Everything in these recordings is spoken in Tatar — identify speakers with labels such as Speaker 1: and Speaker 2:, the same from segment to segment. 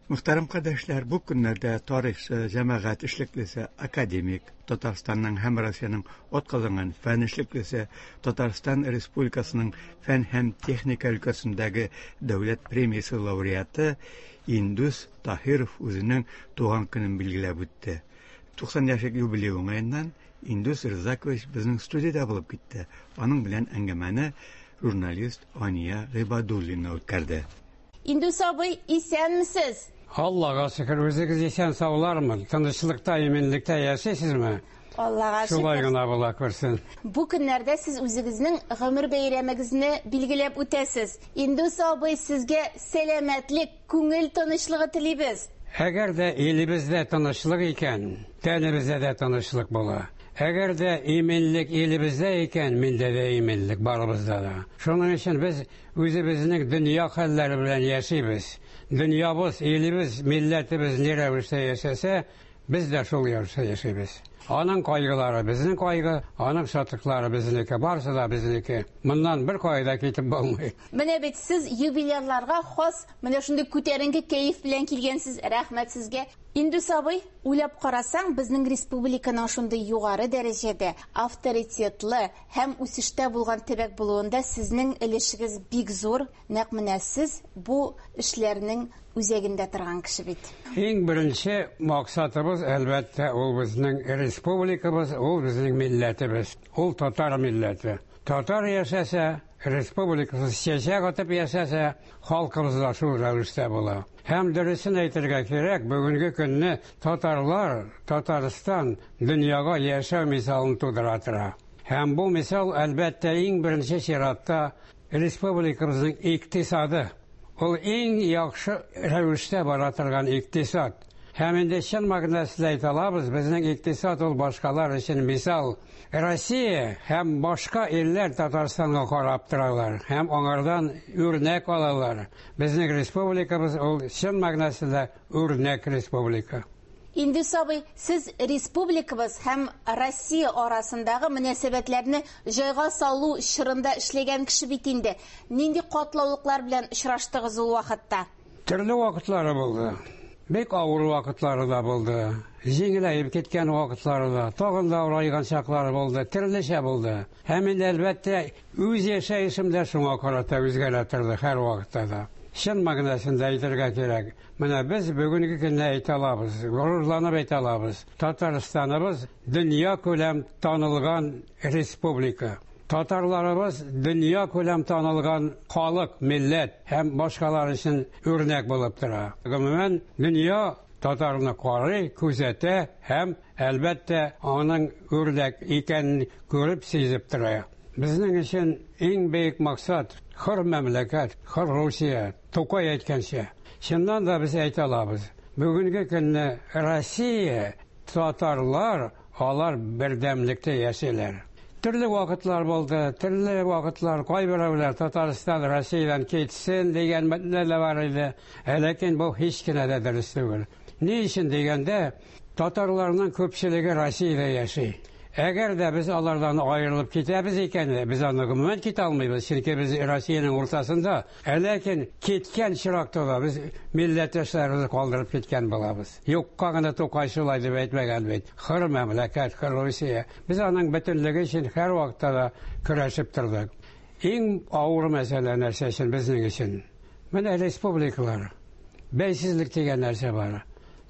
Speaker 1: Мөхтәрәм кардәшләр, бу көннәрдә тарихчы, җәмәгать эшлеклесе, академик, Татарстанның һәм Россиянең атказанган фән эшлеклесе, Татарстан Республикасының фән һәм техника өлкәсендәге дәүләт премиясе лауреаты Индус Таһиров үзенең туган көнен билгеләп үтте. 90 яшьлек юбилей уңаеннан Индус Рзакович безнең студиядә булып китте. Аның белән әңгәмәне журналист Ания Гыйбадуллина үткәрде.
Speaker 2: Индус абый, исәнмесез!
Speaker 3: Аллага шөкер, үзегез исән-саулармы? Тынычлыкта, иминлектә яшисезме?
Speaker 2: Аллага шөкер.
Speaker 3: Шулай гына була күрсен.
Speaker 2: Бу көннәрдә сез үзегезнең гомер бәйрәмегезне билгеләп үтәсез. Индус абый, сезгә сәламәтлек, күңел тынычлыгы телибез.
Speaker 3: Әгәр дә илебездә тынычлык икән, тәнебездә дә тынычлык була. Әгәр дә иминлек илебездә икән, миндә дә иминлек, барыбызда да. Шуның өчен без Үзебезнең дөнья хәлләре белән яшибез. Дөньябыз, илебез, милләтебез ни рәвештә яшәсә, без дә шул рәвештә яшибез. Аның кайгылары безнең кайгы, аның шатлыклары безнеке, барысы да безнеке. Моннан беркая да китеп булмый.
Speaker 2: Менә бит сез юбилярларга хас менә шундый күтәренке кәеф белән килгәнсез, рәхмәт сезгә. Индус абый, уйлап карасаң, безнең республиканың шундый югары дәрәҗәдә, авторитетлы, Һәм үсештә булган төбәк булуында сезнең өлешегез бик зур, нәкъ менә сез бу эшләрнең үзәгендә торган кеше бит.
Speaker 3: Иң беренче максатыбыз, әлбәттә, ул безнең республикабыз, ул безнең милләтебез, ул татар милләте. Татар яшәсә, республикабыз чәчәк атып яшәсә, халкыбыз да шул рәвештә була. Һәм дөресен әйтергә кирәк, бүгенге көнне татарлар, Татарстан дөньяга яшәү мисалын тудыра тора. Һәм бу мисал, әлбәттә, иң беренче чиратта республикабызның икътисады. Ул иң яхшы рәвештә бара торган икътисад. Һәм инде чын мәгънәсендә әйтә алабыз, безнең икътисад ул башкалар өчен мисал. Россия һәм башка илләр Татарстанга карап торалар һәм аңардан үрнәк алалар. Безнең республикабыз ул чын мәгънәсендә үрнәк республика.
Speaker 2: Индус абый, сез республикабыз һәм Россия арасындагы мөнәсәбәтләрне җайга салу чорында эшләгән кеше бит инде. Нинди катлаулыклар белән очраштыгыз ул вакытта?
Speaker 3: Төрле вакытлары булды. Бик авыр вакытлары да булды. Җиңеләеп киткән вакытлары да, тагын да авырайган чаклары булды, төрлечә булды. Һәм инде, әлбәттә, үз яшәешем дә шуңа карата үзгәрә торды һәрвакытта да. Чын мәгънәсендә әйтергә кирәк, Менә без бүгенге көндә әйтә алабыз, горурланып әйтә алабыз, Татарстаныбыз дөнья күләм танылган республика. Татарларыбыз дөнья күләм танылган халык, милләт һәм башкалар өчен үрнәк булып тора. Гомумән, дөнья татарны карый, күзәтә һәм, әлбәттә, аның үрнәк икәнен күреп, сизеп тора. Безнең өчен иң бөек максат, хөр мәмләкәт, хөр Русия, Тукай әйткәнчә, чыннан да без әйтә алабыз, бүгенге көнне Россия, татарлар, алар бердәмлектә яшиләр. Төрле вакытлар булды, төрле вакытлар, кайберәүләр Татарстан Россиядән китсен дигән мәтнә дә бар иде, ә ләкин бу һич кенә дә дөрес түгел. Ни өчен дигәндә, татарларның күпчелеге Россиядә яши. Әгәр дә без алардан аерылып китәбез икән, без аны гомумән китә алмыйбыз, чөнки без Россиянең уртасында. Ә ләкин киткән чиракта да без милләттәшләребезне калдырып киткән булабыз. Юкка гына Тукай шулай дип әйтмәгән бит. Хөр мәмләкәт, хөр Русия. Без аның бөтенлеге өчен һәрвакытта да көрәшеп тордык. Иң авыр мәсьәлә нәрсә өчен безнең өчен? Менә республикалар. Бәйсезлек дигән нәрсә бар.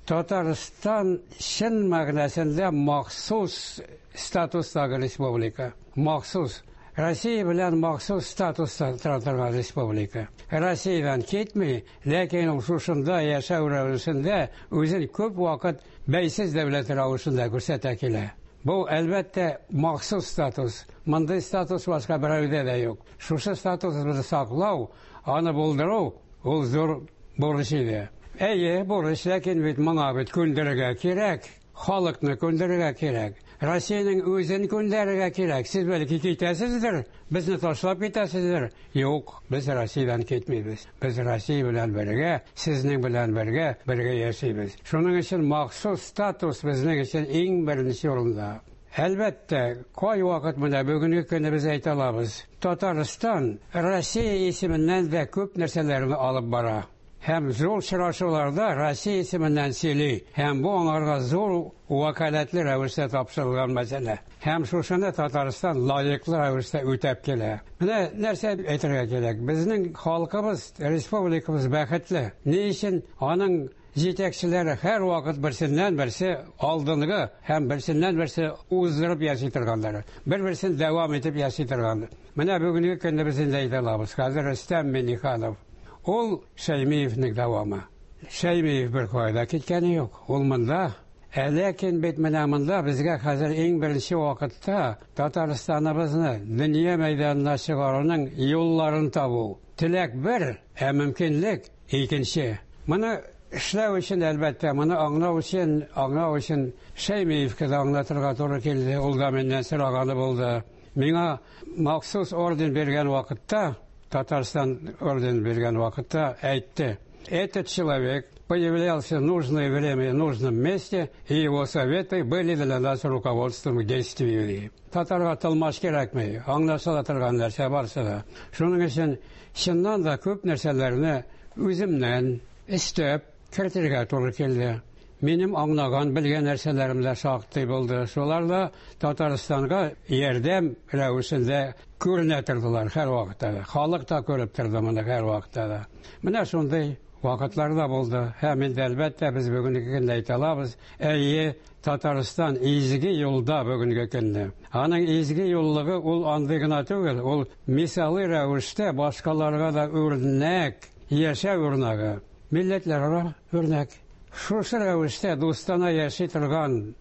Speaker 3: Татарстан чын мәгънәсендә махсус статустагы республика. Махсус. Россия белән махсус статуста тора торган республика. Россиядән китми, ләкин ул шушында яшәү рәвешендә үзен күп вакыт бәйсез дәүләт рәвешендә күрсәтә килә. Бу, әлбәттә, махсус статус. Мондый статус башка берәүдә дә юк. Шушы статусыбызны саклау, аны булдыру, ул зур бурыч иде. Әйе, бурыч, ләкин бит моңа бит күндерергә кирәк. Халыкны күндерергә кирәк. Россиянең үзен күндерергә кирәк. Сез бәлки китәсездер, безне ташлап китәсездер. Юк, без Россиядән китмибез. Без Россия белән бергә, сезнең белән бергә, бергә яшибез. Шуның өчен махсус статус безнең өчен иң беренче урында. Әлбәттә, кайвакыт менә бүгенге көнне без әйтә алабыз, Татарстан Россия исеменнән дә күп нәрсәләрне алып бара. Һәм зур очрашуларда Россия исеменнән сөйли. Һәм бу аңарга зур вәкаләтле рәвештә тапшырылган мәсьәлә. Һәм шушыны Татарстан лаеклы рәвештә үтәп килә. Менә нәрсә әйтергә кирәк. Безнең халкыбыз, республикабыз бәхетле. Ни өчен аның җитәкчеләре һәрвакыт берсеннән-берсе алдынгы һәм берсеннән-берсе уздырып яши торганнар. Бер-берсен дәвам итеп яши торган. Менә бүгенге көнне без инде әйтә алабыз. Хәзер Рөстәм Миңнеханов. Ул Шәймиевнең дәвамы. Шәймиев бер кая да киткәне юк. Ул монда. Ә ләкин бит менә монда безгә хәзер иң беренче вакытта Татарстаныбызны дөнья мәйданына чыгаруның юлларын табу. Теләк бер, ә мөмкинлек икенче. Моны эшләү өчен, әлбәттә, моны аңлау өчен, аңлау өчен Шәймиевкә дә аңлатырга туры килде. Ул да миннән сораганы булды. Миңа махсус орден биргән вакытта, Татарстан орден биргән вакытта әйтте: Этот человек появлялся в нужное время в нужном месте, и его советы были для нас руководством к действию. Татарга тылмач кирәкми, аңлашыла торган нәрсә барсы да. Шуның өчен чыннан да күп нәрсәләрне үземнән өстәп кертергә туры килде. Минем аңлаган, белгән нәрсәләрем дә шактый булды. Шулар да Татарстанга ярдәм рәвешендә күренә тордылар һәрвакытта да. Халык та күреп торды моны һәрвакытта да. Менә шундый вакытлар да булды. Һәм инде, әлбәттә, без бүгенге көндә әйтә алабыз, әйе, Татарстан изге юлда бүгенге көндә. Аның изге юллыгы ул андый гына түгел, ул мисалы рәвештә башкаларга да үрнәк, яшәү үрнәге, милләтләрара үрнәк. Шушы рәвештә дустана яши торган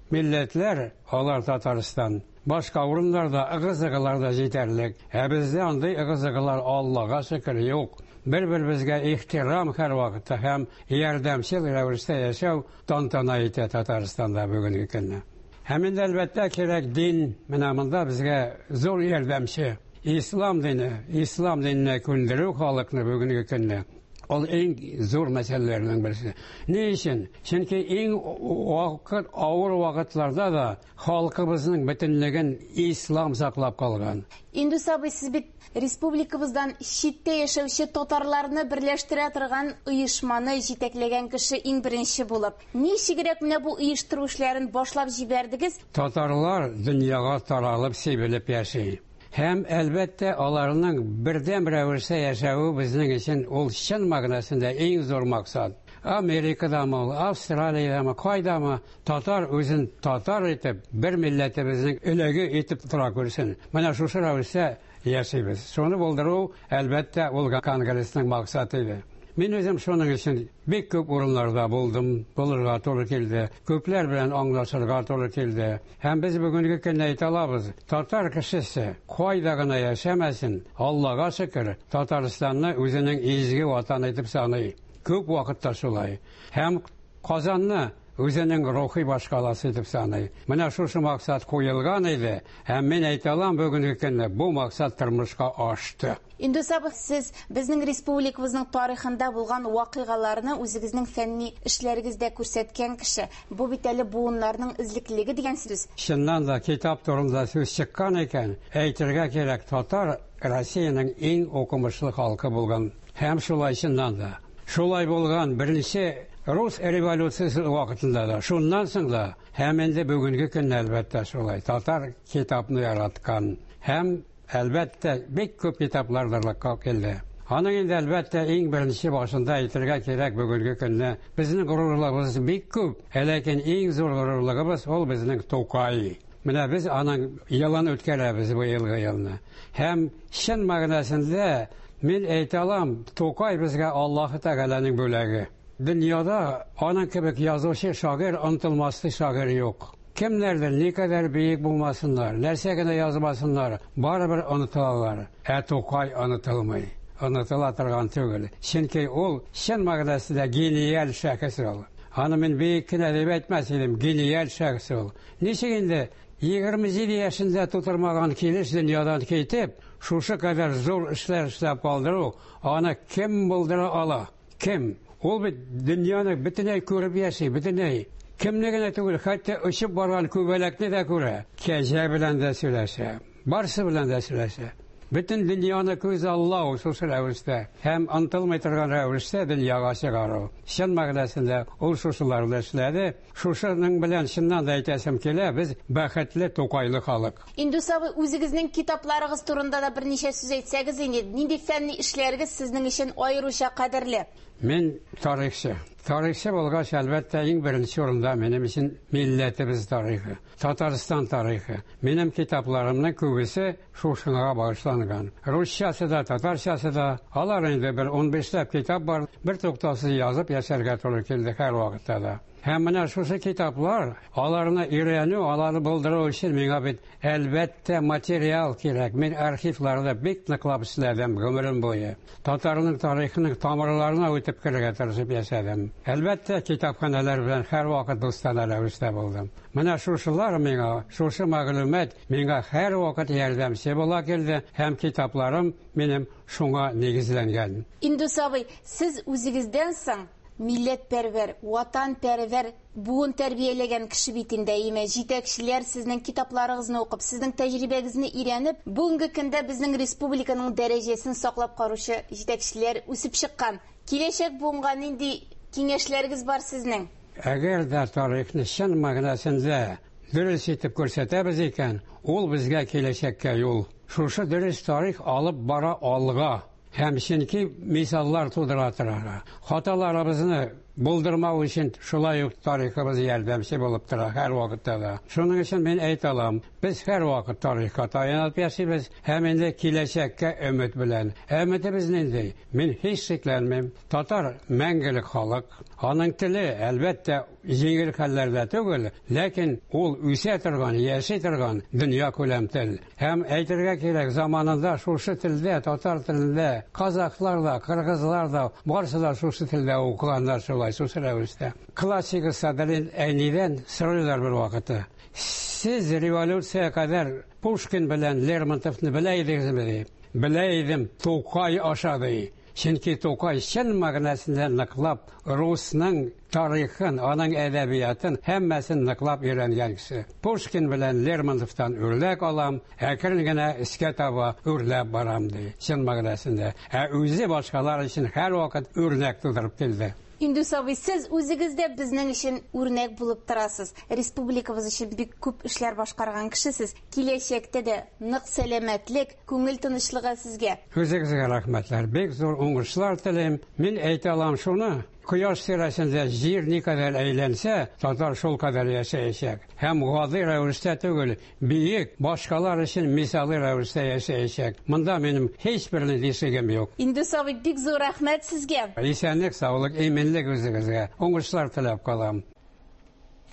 Speaker 3: милләтләр, алар Татарстан. Башка урыннарда ыгы-зыгылар да җитәрлек. Ә бездә андый ыгы-зыгылар, Аллага шөкер, юк. Бер-беребезгә ихтирам һәрвакытта һәм ярдәмчел рәвештә яшәү тантана итә Татарстанда бүгенге көнне. Һәм инде, әлбәттә, кирәк дин, менә монда безгә зур ярдәмче. Ислам дине, ислам диненә күндерү халыкны бүгенге көнне. Ул иң зур мәсьәләләрнең берсе. Ни өчен? Чөнки иң вакыт, авыр вакытларда да халкыбызның бөтенлеген ислам саклап калган.
Speaker 2: Индус абый, сез бит республикабыздан читтә яшәүче татарларны берләштерә торган оешманы җитәкләгән кеше иң беренче булып. Ничегрәк менә бу оештыру эшләрен башлап җибәрдегез?
Speaker 3: Татарлар дөньяга таралып, сибелеп яши. Һәм, әлбәттә, аларның бердәм рәвештә яшәве безнең өчен ул чын мәгънәсендә иң зур максат. Америкадамы ул, Австралиядәме, кайдамы, татар үзен татар итеп, бер милләтебезнең өләге итеп тора күрсен. Менә шушы рәвештә яшибез. Шуны булдыру, әлбәттә, ул конгрессның максаты иде. Мин үзем шуның өчен бик күп урыннарда булдым, булырга туры килде. Күпләр белән аңлашырга туры килде. Һәм без бүгенге көндә әйтә алабыз, татар кешесе кайда гына яшәмәсен, Аллага шөкер, Татарстанны үзенең изге ватаны итеп саный. Күп вакытта шулай. Һәм Казанны үзенең рухи башкаласы итеп саный. Менә шушы максат куелган иде, һәм мин әйтә алам, бүгенге көндә бу максат тормышка ашты.
Speaker 2: Индус абый, сез безнең республикабызның тарихында булган вакыйгаларны үзегезнең фәнни эшләрегездә күрсәткән кеше. Бу бит әле буыннарның эзлеклелеге дигән сүз.
Speaker 3: Чыннан да, китап турында сүз чыккан икән, әйтергә кирәк, татар Россиянең иң укымышлы халкы булган. Һәм шулай чыннан да. Шулай булган беренче рус революциясе вакытында да, шуннан соң да, һәм инде бүгенге көндә, әлбәттә, шулай. Татар китапны яраткан һәм, әлбәттә, бик күп китаплар барлыкка килде. Аның инде, әлбәттә, иң беренче башында әйтергә кирәк, бүгенге көндә безнең горурлыгыбыз бик күп, ә ләкин иң зур горурлыгыбыз ул безнең Тукай. Менә без аның елын үткәрәбез бу елгы елны. Һәм чын мәгънәсендә мин әйтә алам, Тукай безгә Аллаһы Тәгаләнең бүләге. Дөньяда аның кебек язучы, шагыйрь, онытылмастай шагыйрь юк. Кемнәрдер никадәр бөек булмасыннар, нәрсә генә язмасыннар, барыбер онытылалар. Ә Тукай онытылмый. Онытыла торган түгел. Чөнки ул чын мәгънәсендә гениаль шәхес ул. Аны мин бөек кенә дип әйтмәс идем, гениаль шәхес ул. Ничек инде 27 яшендә тутырмаган килеш дөньядан китеп, шушы кадәр зур эшләр эшләп калдыру, аны кем булдыра ала? Кем? Ул бит дөньяны бөтенләй күреп яши, бөтенләй. Кемне генә түгел, хәтта очып барган күбәләкне дә күрә. Кәҗә белән дә сөйләшә. Барсы белән дә сөйләшә. Бөтен дөньяны күзаллау шушы рәвештә һәм онытылмый торган рәвештә дөньяга чыгару. Чын мәгънәсендә ул шушыларны эшләде. Шушының белән чыннан да әйтәсем килә, без бәхетле Тукайлы халык.
Speaker 2: Индус абый, үзегезнең китапларыгыз турында да берничә сүз әйтсәгез инде, нинди фәнни эшләрегез сезнең өчен аеруча кадерле?
Speaker 3: Мин тарихчы. Тарихчы булгач, әлбәттә, иң беренче урында минем өчен милләтебез тарихы, Татарстан тарихы. Минем китапларымның күбесе шушыңа багышланган. Русчасы да, татарчасы да. Алар инде бер 15ләп китап бар. Бер туктаусыз язып яшәргә туры килде һәрвакытта да. Һәм менә шушы китаплар, аларны өйрәнү, аларны булдыру өчен миңа бит әлбәттә материал кирәк. Мин архивларда бик ныклап эшләдем гомерем буе. Татарның тарихының тамырларына үтеп керергә тырышып яшәдем. Әлбәттә, китапханәләр белән һәрвакыт дустанә рәвештә булдым. Менә шушылар миңа, шушы мәгълүмат миңа һәрвакыт ярдәмче була килде һәм китапларым минем шуңа нигезләнгән.
Speaker 2: Индус абый, сез үзегездән соң милләтпәрвәр, ватанпәрвәр буын тәрбияләгән кеше бит инде, әйеме? Җитәкчеләр сезнең китапларыгызны укып, сезнең тәҗрибәгезне өйрәнеп, бүгенге көндә безнең республиканың дәрәҗәсен саклап каручы җитәкчеләр үсеп чыккан. Киләчәк буынга нинди киңәшләрегез бар сезнең?
Speaker 3: Әгәр дә тарихны чын мәгънәсендә дөрес итеп күрсәтәбез икән, ул безгә киләчәккә юл. Шушы дөрес тарих алып бара алга. Һәм чөнки мисаллар тудыра тора. Хаталарыбызны булдырмау өчен шулай ук тарихыбыз ярдәмче булып тора һәрвакытта да. Шуның өчен мин әйтә алам, без һәрвакыт тарихка таянып яшибез һәм инде киләчәккә өмет белән. Өметебез нинди? Мин һич шикләнмим. Татар мәңгелек халык. Аның теле, әлбәттә, җиңел хәлләрдә түгел, ләкин ул үсә торган, яши торган дөнья күләм тел. Һәм әйтергә кирәк, заманында шушы телдә, татар телендә, казахлар да, кыргызлар да, барысы да шушы телдә укыганнар шулай, шушы рәвештә. Классик Садри Әйнидән сорыйлар бер вакытта. Сез революция кадәр Пушкин белән Лермонтовны белә идегезме, ди. Белә идем, Тукай аша, ди. Чөнки Тукай чын мәгънәсендә ныклап русның тарихын, аның әдәбиятын һәммәсен ныклап өйрәнгән кеше. Пушкин белән Лермонтовтан үрнәк алам, әкрен генә өскә таба үрләп барам, ди, чын мәгънәсендә. Ә үзе башкалар өчен һәрвакыт үрнәк тудырып килде.
Speaker 2: Индус абый, сез үзегез дә безнең өчен үрнәк булып торасыз. Республикабыз өчен бик күп эшләр башкарган кешесез. Киләчәктә дә нык сәламәтлек, күңел тынычлыгы сезгә.
Speaker 3: Үзегезгә рәхмәтләр. Бик зур уңышлар телим. Мин әйтә алам шуны, кояш тирәсендә җир никадәр әйләнсә, татар шул кадәр яшәячәк. Һәм гади рәвештә түгел, биек, башкалар өчен мисалы рәвештә яшәячәк. Монда минем һич бер нинди шигем юк.
Speaker 2: Индус абый, бик зур рәхмәт сезгә.
Speaker 3: Исәнлек, саулык, иминлек үзегезгә. Уңышлар теләп калам.